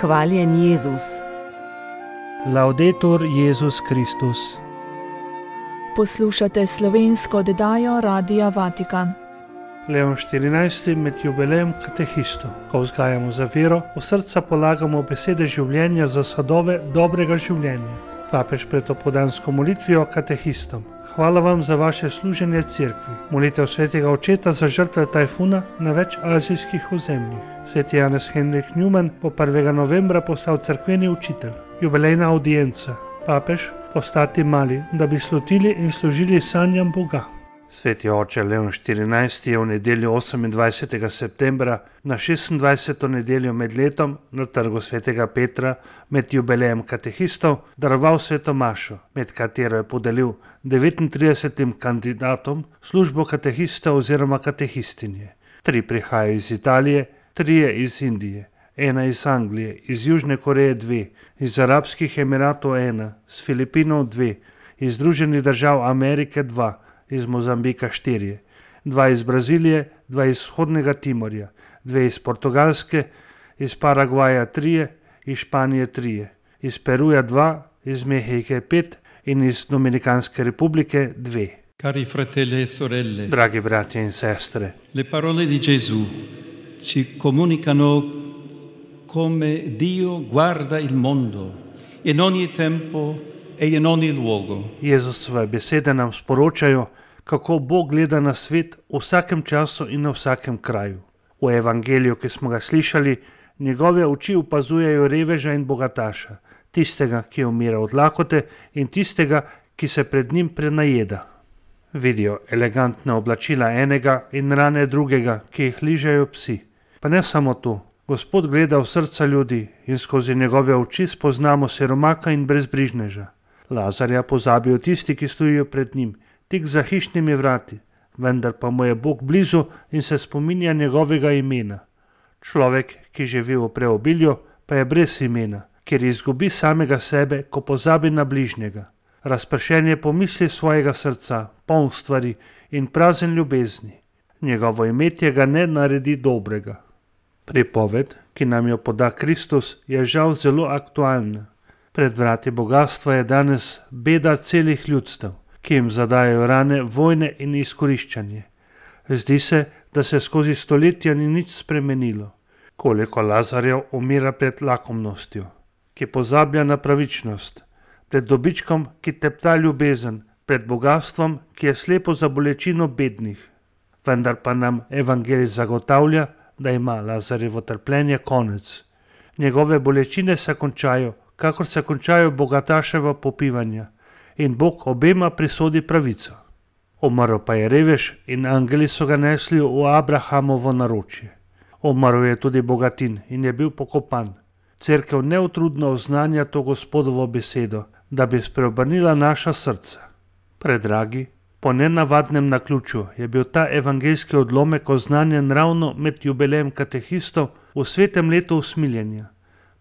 Hvaljen Jezus. Laudetur Jezus Kristus. Poslušate slovensko oddajo Radia Vatikan. Leon 14. med jubilejem katehistov, ko vzgajamo za vero, v srca polagamo besede življenja za sadove dobrega življenja. Papež pred opoldansko molitvijo katehistom. Hvala vam za vaše služenje cerkvi. Molitev svetega očeta za žrtve tajfuna na več azijskih ozemljih. Sveti Janez Henrik Newman bo 1. novembra postal cerkveni učitelj. Jubilejna audienca. Papež postati mali, da bi slutili in služili sanjam Boga. Sveti oče Leon 14. je v nedeljo 28. septembra na 26. nedeljo med letom na trgu svetega Petra med jubilejem katehistov daroval sveto mašo, med katero je podelil 39 kandidatom službo katehista oziroma katehistinje. 3 prihajajo iz Italije, 3 iz Indije, 1 iz Anglije, iz Južne Koreje 2, iz Arabskih Emiratov 1, z Filipinov 2, iz Združenih držav Amerike 2, iz Mozambika 4, 2 iz Brazilije, 2 iz Vzhodnega Timorja, 2 iz Portugalske, iz Paragvaja 3, iz Španije 3, iz Peruja 2, iz Mehike 5 in iz Dominikanske republike 2. Cari fratelli e sorelle, Dragi bratje in sestre, le parole di Gesù ci comunicano come Dio guarda il mondo in ogni tempo e in ogni luogo. Jezusove besede nam sporočajo, kako Bog gleda na svet v vsakem času in na vsakem kraju. V evangeliju, ki smo ga slišali, njegove oči opazujejo reveža in bogataša, tistega, ki umira od lakote in tistega, ki se pred njim prenajeda. Vidijo elegantna oblačila enega in rane drugega, ki jih ližejo psi. Pa ne samo to, Gospod gleda v srca ljudi in skozi njegove oči spoznamo siromaka in brezbrižneža. Lazarja pozabijo tisti, ki stojijo pred njim, tik za hišnimi vrati, vendar pa mu je Bog blizu in se spominja njegovega imena. Človek, ki živi v preobilju, pa je brez imena, ker izgubi samega sebe, ko pozabi na bližnjega. Razpršen je pomisli svojega srca, poln stvari in prazen ljubezni. Njegovo imetje ga ne naredi dobrega. Pripoved, ki nam jo poda Kristus, je žal zelo aktualna. Pred vrati bogatstva je danes beda celih ljudstev, ki jim zadajajo rane vojne in izkoriščanje. Zdi se, da se skozi stoletja ni nič spremenilo. Koliko Lazarjev umira pred lakomnostjo, ki pozablja na pravičnost, pred dobičkom, ki tepta ljubezen, pred bogatstvom, ki je slepo za bolečino bednih. Vendar pa nam evangelij zagotavlja, da ima Lazarjevo trpljenje konec. Njegove bolečine se končajo, kakor se končajo bogataševa popivanja, in Bog obema prisodi pravico. Umrl pa je revež in angeli so ga nesli v Abrahamovo naročje. Umrl je tudi bogatin in je bil pokopan. Cerkev neutrudno oznanja to Gospodovo besedo, da bi spreobrnila naša srca. Predragi, po nenavadnem naključju je bil ta evangeljski odlomek oznanjen ravno med jubilejem katehistov v svetem letu usmiljenja.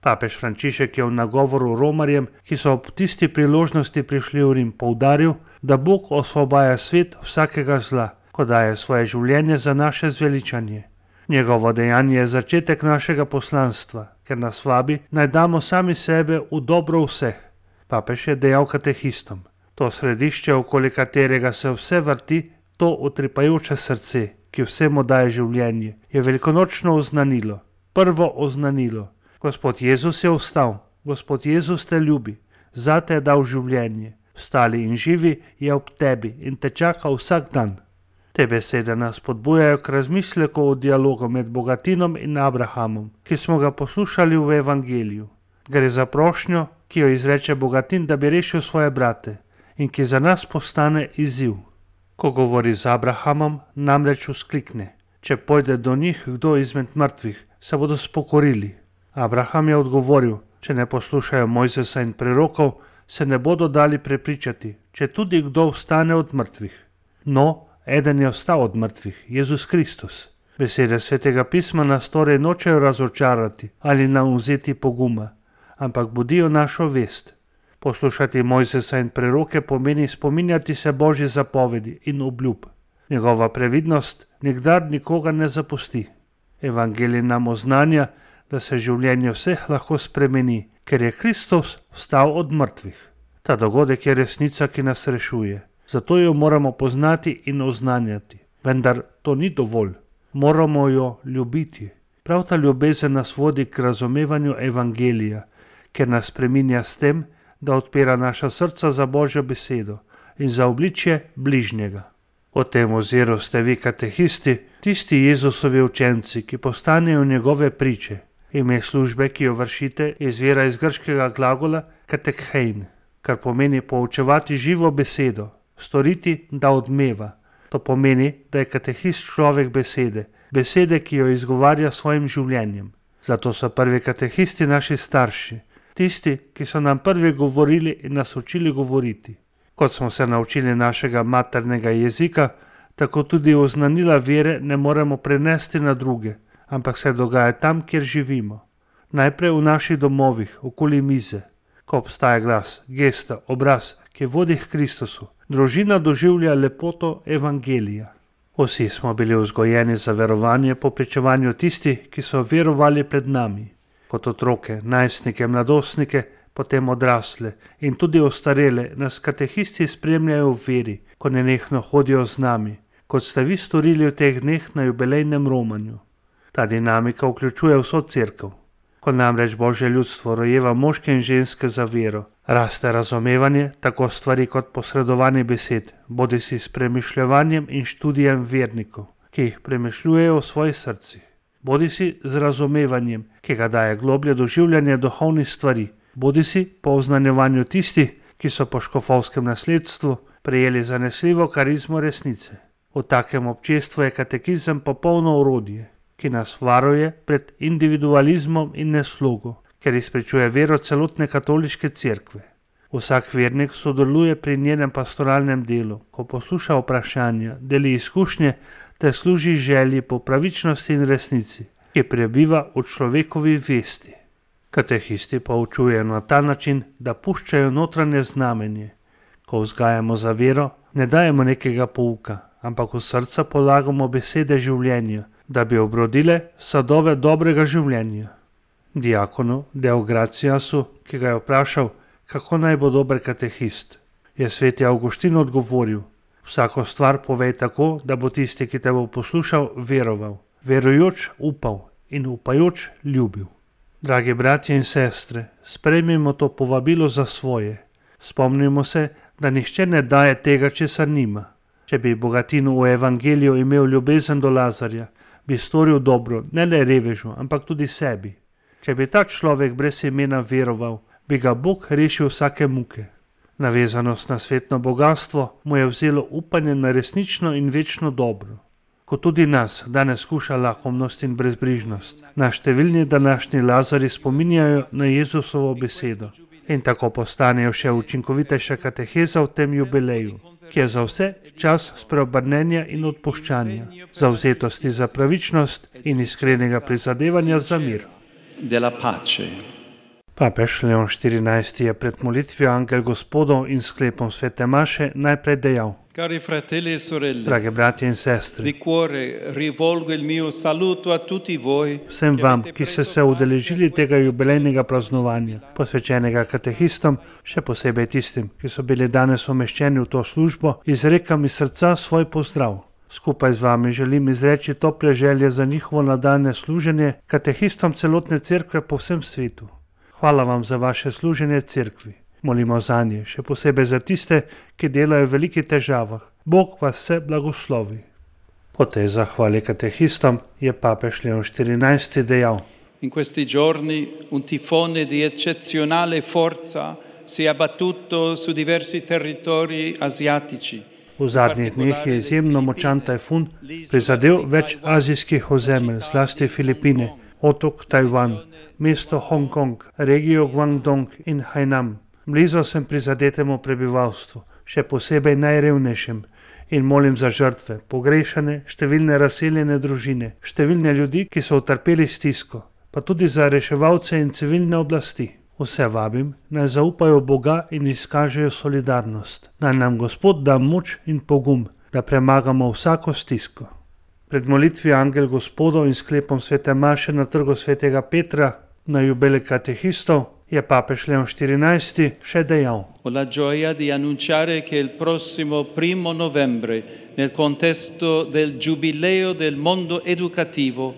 Papež Frančišek je v nagovoru Romarjem, ki so ob tisti priložnosti prišli v Rim, poudaril, da Bog osvobaja svet vsakega zla, ko daje svoje življenje za naše zveličanje. Njegovo dejanje je začetek našega poslanstva, ker nas vabi, naj damo sami sebe v dobro vseh. Papež je dejal katehistom. To središče, okoli katerega se vse vrti, to utripajoče srce, ki vsemu daje življenje, je velikonočno oznanilo, prvo oznanilo. Gospod Jezus je vstal, Gospod Jezus te ljubi, zate je dal življenje, vstali in živi je ob tebi in te čaka vsak dan. Te besede nas spodbujajo k razmisleku o dialogu med bogatinom in Abrahamom, ki smo ga poslušali v evangeliju. Gre za prošnjo, ki jo izreče bogatin, da bi rešil svoje brate in ki za nas postane izziv. Ko govori z Abrahamom, namreč vzklikne: če pojde do njih kdo izmed mrtvih, se bodo spokorili. Abraham je odgovoril: če ne poslušajo Mojzesa in prerokov, se ne bodo dali prepričati, če tudi kdo vstane od mrtvih. No, eden je vstal od mrtvih, Jezus Kristus. Besede svetega pisma nas torej nočejo razočarati ali nam vzeti poguma, ampak budijo našo vest. Poslušati Mojzesa in preroke pomeni spominjati se Božje zapovedi in obljub. Njegova previdnost nikdar nikoga ne zapusti. Evangelij nam oznanja, da se življenje vseh lahko spremeni, ker je Kristus vstal od mrtvih. Ta dogodek je resnica, ki nas rešuje. Zato jo moramo poznati in oznanjati. Vendar to ni dovolj. Moramo jo ljubiti. Prav ta ljubezen nas vodi k razumevanju evangelija, ker nas spreminja s tem, da odpira naša srca za Božjo besedo in za obličje bližnjega. O tem oziru ste vi katehisti, tisti Jezusovi učenci, ki postanejo njegove priče. Ime službe, ki jo vršite, izvira iz grškega glagola katekhein, kar pomeni poučevati živo besedo, storiti, da odmeva. To pomeni, da je katehist človek besede, besede, ki jo izgovarja svojim življenjem. Zato so prvi katehisti naši starši, tisti, ki so nam prvi govorili in nas učili govoriti. Kot smo se naučili našega maternega jezika, tako tudi oznanila vere ne moremo prenesti na druge, ampak se dogaja tam, kjer živimo. Najprej v naših domovih, okoli mize, ko obstaja glas, gesta, obraz, ki vodi k Kristusu. Družina doživlja lepoto evangelija. Vsi smo bili vzgojeni za verovanje po pričevanju tistih, ki so verovali pred nami. Kot otroke, najstnike, mladostnike, potem odrasle in tudi ostarele nas katehisti spremljajo v veri, ko nenehno hodijo z nami, kot ste vi storili v teh dneh na jubilejnem romanju. Ta dinamika vključuje vso cerkev. Ko namreč Božje ljudstvo rojeva moške in ženske za vero, raste razumevanje tako stvari kot posredovanje besed, bodisi s premišljevanjem in študijem vernikov, ki jih premišljujejo v svojih srcih, bodisi z razumevanjem, ki ga daje globlje doživljanje duhovnih stvari, bodisi po oznanjevanju tistih, ki so po škofovskem nasledstvu prejeli zanesljivo karizmo resnice. V takem občestvu je katekizem popolno orodje, ki nas varuje pred individualizmom in neslogo, ker izpričuje vero celotne katoliške cerkve. Vsak vernik sodeluje pri njenem pastoralnem delu, ko posluša vprašanja, deli izkušnje ter služi želji po pravičnosti in resnici, ki prebiva v človekovi vesti. Katehisti poučujejo na ta način, da puščajo notranje znamenje. Ko vzgajamo za vero, ne dajemo nekega pouka, ampak v srca polagamo besede življenja, da bi obrodile sadove dobrega življenja. Diakonu Deograciasu, ki ga je vprašal, kako naj bo dober katehist, je sveti Avguštin odgovoril: vsako stvar povej tako, da bo tisti, ki te bo poslušal, veroval, verujoč upal in upajoč ljubil. Dragi bratje in sestre, sprejmimo to povabilo za svoje. Spomnimo se, da nihče ne daje tega, česar nima. Če bi Bogatinu v evangeliju imel ljubezen do Lazarja, bi storil dobro ne le revežu, ampak tudi sebi. Če bi ta človek brez imena veroval, bi ga Bog rešil vsake muke. Navezanost na svetno bogatstvo mu je vzelo upanje na resnično in večno dobro. Ko tudi nas danes skuša lahkomnost in brezbrižnost, nas številni današnji Lazari spominjajo na Jezusovo besedo in tako postanejo še učinkovitejša kateheza v tem jubileju, ki je za vse čas spreobrnenja in odpuščanja, zavzetosti za pravičnost in iskrenega prizadevanja za mir. Papež Leon XIV je pred molitvijo Angel Gospodov in sklepom svete maše najprej dejal: Cari fratelli e sorelle, drage bratje in sestre, di cuore rivolgo il mio saluto a tutti voi, vsem vam, ki ste se udeležili tega jubilejnega praznovanja, posvečenega katehistom, še posebej tistim, ki so bili danes umeščeni v to službo, izrekam iz srca svoj pozdrav. Skupaj z vami želim izreči tople želje za njihovo nadaljnje služenje katehistom celotne cerkve po vsem svetu. Hvala vam za vaše služenje cerkvi. Molimo zanje, še posebej za tiste, ki delajo v velikih težavah. Bog vas vse blagoslovi. Po tej zahvali katehistom je papež Leon XIV dejal: In questi giorni un tifone di eccezionale forza si è abbattuto su diversi territori asiatici. V zadnjih dneh je izjemno močan tajfun prizadel več azijskih ozemelj, zlasti Filipine, otok Tajvan, mesto Hongkong, regijo Guangdong in Hainan. Blizu sem prizadetemu prebivalstvu, še posebej najrevnejšim, in molim za žrtve, pogrešane, številne razseljene družine, številne ljudi, ki so utrpeli stisko, pa tudi za reševalce in civilne oblasti. Vse vabim, naj zaupajo Boga in izkažejo solidarnost. Naj nam Gospod da moč in pogum, da premagamo vsako stisko. Pred molitvijo Angel Gospodov in sklepom svete maše na trgu svetega Petra na jubilej katehistov je papež Leon XIV še dejal: Ho la gioia di annunciare che il prossimo 1 novembre, nel contesto del Giubileo del mondo educativo,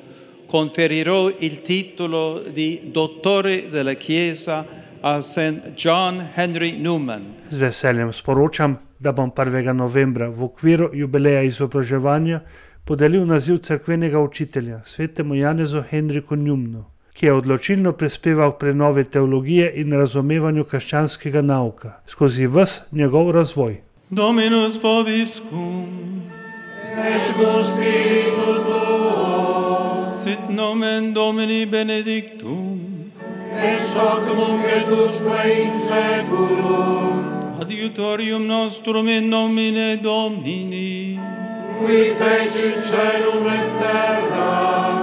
conferirò il titolo di Dottore della Chiesa a St. John Henry Newman. Z veseljem sporočam, da bom 1. novembra v okviru jubileja izobraževanja podelil naziv cerkvenega učitelja svetemu Janezu Henriku Newmanu, ki je odločilno prispeval k prenovi teologije in razumevanju krščanskega nauka skozi ves njegov razvoj. Dominus vobiscum. Et cum spiritu tuo. Sit nomen Domini benedictum. Ex hoc nunc et usque in saeculum. Adiutorium nostrum in nomine Domini. Qui fecit caelum et terra.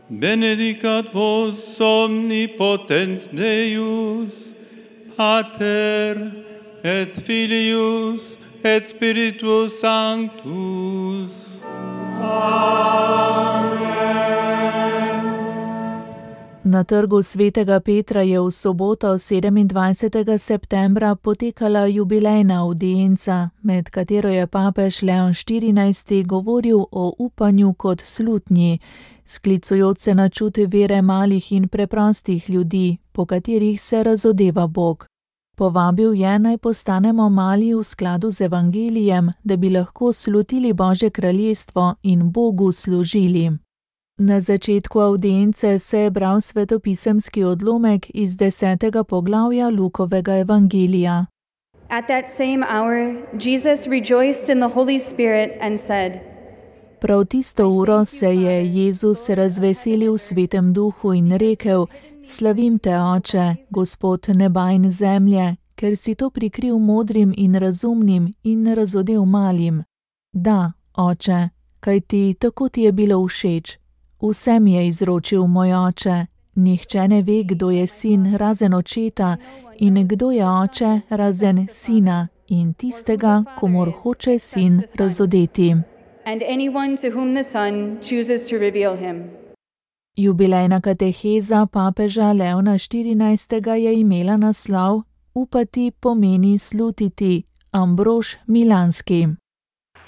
Benedicat vos omnipotens Deus, Pater et Filius et Spiritus Sanctus. Na trgu svetega Petra je v soboto 27. septembra potekala jubilejna avdienca, med katero je papež Leon XIV govoril o upanju kot slutnji, sklicujoč se na čut vere malih in preprostih ljudi, po katerih se razodeva Bog. Povabil je, naj postanemo mali v skladu z evangelijem, da bi lahko slutili Božje kraljestvo in Bogu služili. Na začetku avdience se je bral svetopisemski odlomek iz 10. poglavja Lukovega evangelija. At that same hour, Jesus rejoiced in the Holy Spirit and said, Prav tisto uro se je Jezus razveselil v Svetem Duhu in rekel: Slavim te, Oče, Gospod neba in zemlje, ker si to prikril modrim in razumnim in razodel malim. Da, Oče, kajti tako ti je bilo všeč. Vse mi je izročil moj Oče. Nihče ne ve, kdo je sin razen očeta in kdo je oče razen sina in tistega, komur hoče sin razodeti. and anyone to whom the Son chooses to reveal him. Jubilejna kateheza papeža Leona XIV. Je imela naslov Upati pomeni slutiti, Ambrož Milanski.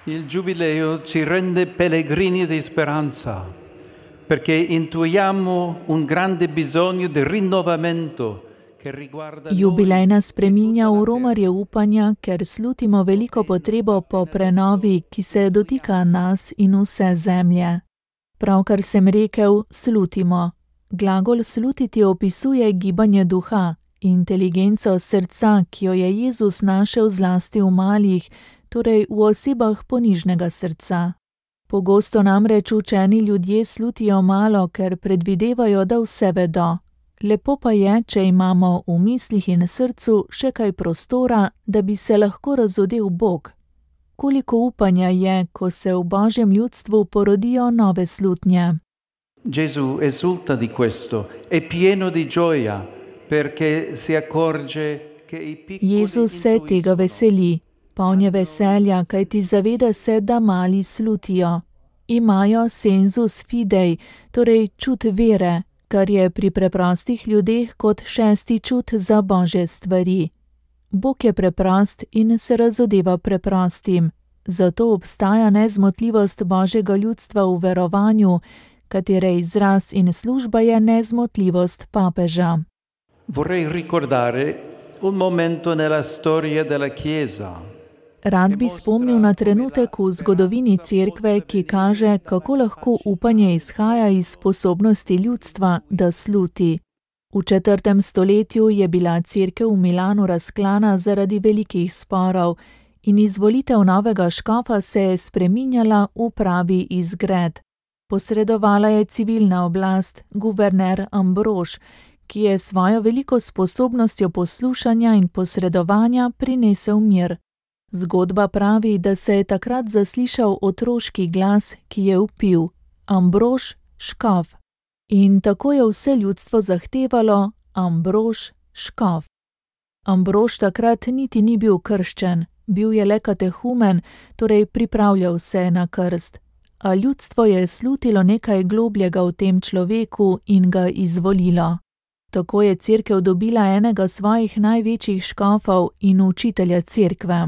Il Giubileo ci rende pellegrini di speranza, perché intuiamo un grande bisogno di rinnovamento che riguarda noi. Jubilej nas spreminja v romarje upanja, ker slutimo veliko potrebo po prenovi, ki se dotika nas in vse zemlje. Pravkar sem rekel, slutimo. Glagol slutiti opisuje gibanje duha, inteligenco srca, ki jo je Jezus našel zlasti v malih, torej v osebah ponižnega srca. Pogosto namreč učeni ljudje slutijo malo, ker predvidevajo, da vse vedo. Lepo pa je, če imamo v mislih in srcu še kaj prostora, da bi se lahko razodel Bog. Koliko upanja je, ko se v Božjem ljudstvu porodijo nove slutnje. Gesù esulta di questo, è pieno di gioia, perché si accorge che i piccoli Jezus se tega veseli, poln je veselja, kajti zaveda se, da mali slutijo. Imajo sensus fidei, torej čut vere, kar je pri preprostih ljudeh kot šesti čut za Božje stvari. Bog je preprost in se razodeva preprostim, zato obstaja nezmotljivost Božjega ljudstva v verovanju, katere izraz in služba je nezmotljivost papeža. Vorrei ricordare un momento nella storia della Chiesa. Rad bi spomnil na trenutek v zgodovini Cerkve, ki kaže, kako lahko upanje izhaja iz sposobnosti ljudstva, da sluti. V 4. stoletju je bila Cerkev v Milanu razklana zaradi velikih sporov in izvolitev novega škofa se je spreminjala v pravi izgred. Posredovala je civilna oblast, guverner Ambrož, ki je svojo veliko sposobnostjo poslušanja in posredovanja prinesel mir. Zgodba pravi, da se je takrat zaslišal otroški glas, ki je vpil: Ambrož, škof. In tako je vse ljudstvo zahtevalo: Ambrož, škof. Ambrož takrat niti ni bil krščen, bil je le katehumen, torej pripravljal se na krst. a ljudstvo je slutilo nekaj globljega v tem človeku in ga izvolilo. Tako je cerkev dobila enega svojih največjih škofov in učitelja cerkve.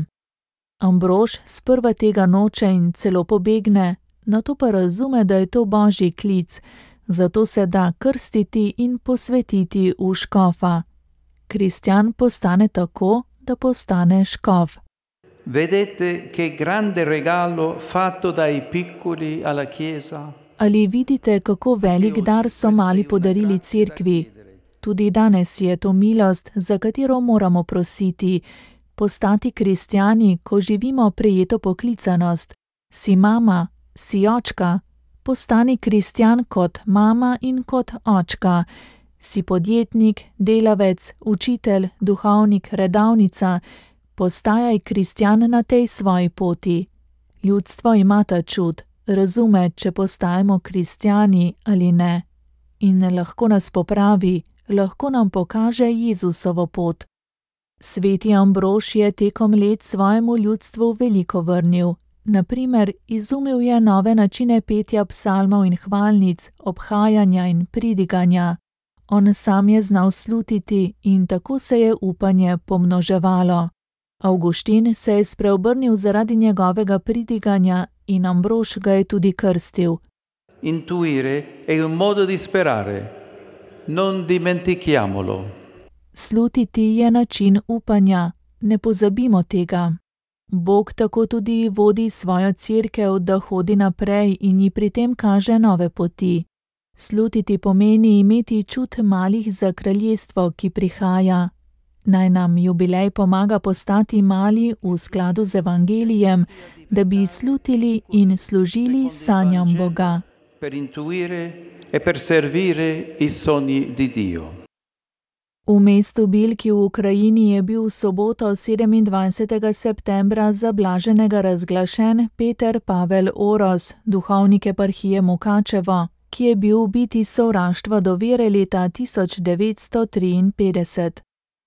Ambrož sprva tega noče in celo pobegne, nato pa razume, da je to božji klic, zato se da krstiti in posvetiti v škofa. Kristjan postane tako, da postane škof. Vedete che grande regalo fatto dai piccoli alla Chiesa? Ali vidite, kako velik dar so mali podarili cerkvi? Tudi danes je to milost, za katero moramo prositi. Postati kristjani, ko živimo prejeto poklicanost. Si mama, si očka, postani kristjan kot mama in kot očka. Si podjetnik, delavec, učitelj, duhovnik, redavnica, postajaj kristjan na tej svoji poti. Ljudstvo ima ta čud, razume, če postajamo kristjani ali ne. In lahko nas popravi, lahko nam pokaže Jezusovo pot. Sveti Ambrož je tekom let svojemu ljudstvu veliko vrnil. Naprimer, izumil je nove načine petja psalmov in hvalnic, obhajanja in pridiganja. On sam je znal slutiti in tako se je upanje pomnoževalo. Avguštin se je spreobrnil zaradi njegovega pridiganja in Ambrož ga je tudi krstil. Intuire è un modo di sperare. Non dimentichiamolo. Slutiti je način upanja, ne pozabimo tega. Bog tako tudi vodi svojo cerkev, da hodi naprej in ji pri tem kaže nove poti. Slutiti pomeni imeti čut malih za kraljestvo, ki prihaja. Naj nam jubilej pomaga postati mali v skladu z evangelijem, da bi slutili in služili sanjam Boga. Per intuire e per servire I sogni di Dio. V mestu Bilki v Ukrajini je bil v soboto 27. septembra za blaženega razglašen Peter Pavel Oros, duhovnik eparhije Mukačevo, ki je bil ubit iz sovraštva do vere leta 1953.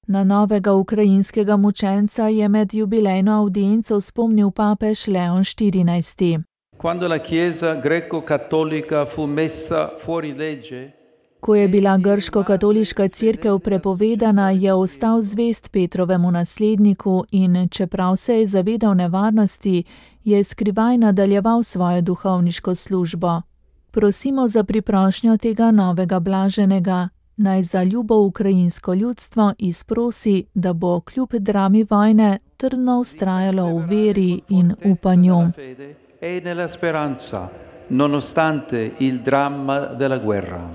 Na novega ukrajinskega mučenca je med jubilejno avdienco spomnil papež Leon XIV. Quando la Chiesa greco-cattolica fu messa fuori legge, Ko je bila grško-katoliška cerkev prepovedana, je ostal zvest Petrovemu nasledniku in, čeprav se je zavedal nevarnosti, je skrivaj nadaljeval svojo duhovniško službo. Prosimo za priprošnjo tega novega blaženega, naj za ljubo ukrajinsko ljudstvo izprosi, da bo kljub drami vojne trdno vztrajalo v veri in upanju. e nella speranza, nonostante il dramma della guerra.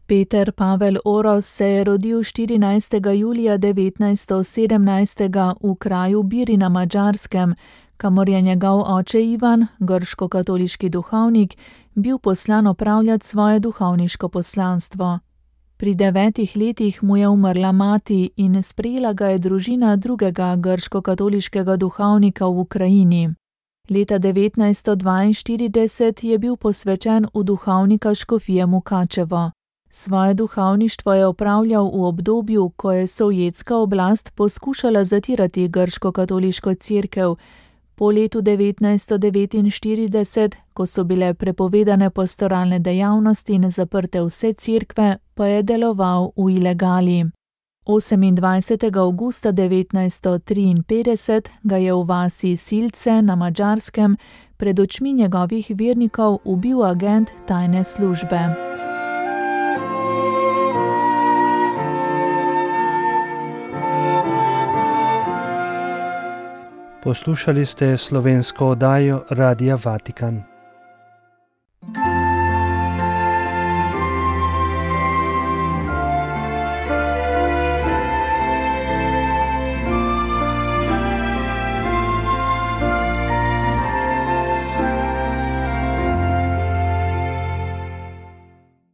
Peter Pavel Oros se je rodil 14. julija 1917 v kraju Biri na Madžarskem, kamor je njegov oče Ivan, grško-katoliški duhovnik, bil poslan opravljati svoje duhovniško poslanstvo. Pri 9 letih mu je umrla mati in sprejela ga je družina drugega grško-katoliškega duhovnika v Ukrajini. Leta 1942 je bil posvečen v duhovnika škofije Mukačevo. Svoje duhovništvo je opravljal v obdobju, ko je sovjetska oblast poskušala zatirati grško-katoliško cerkev. Po letu 1949, ko so bile prepovedane pastoralne dejavnosti in zaprte vse cerkve, pa je deloval v ilegali. 28. avgusta 1953 ga je v vasi Silce na Madžarskem pred očmi njegovih vernikov ubil agent tajne službe. Poslušali ste slovensko oddajo Radia Vatikan.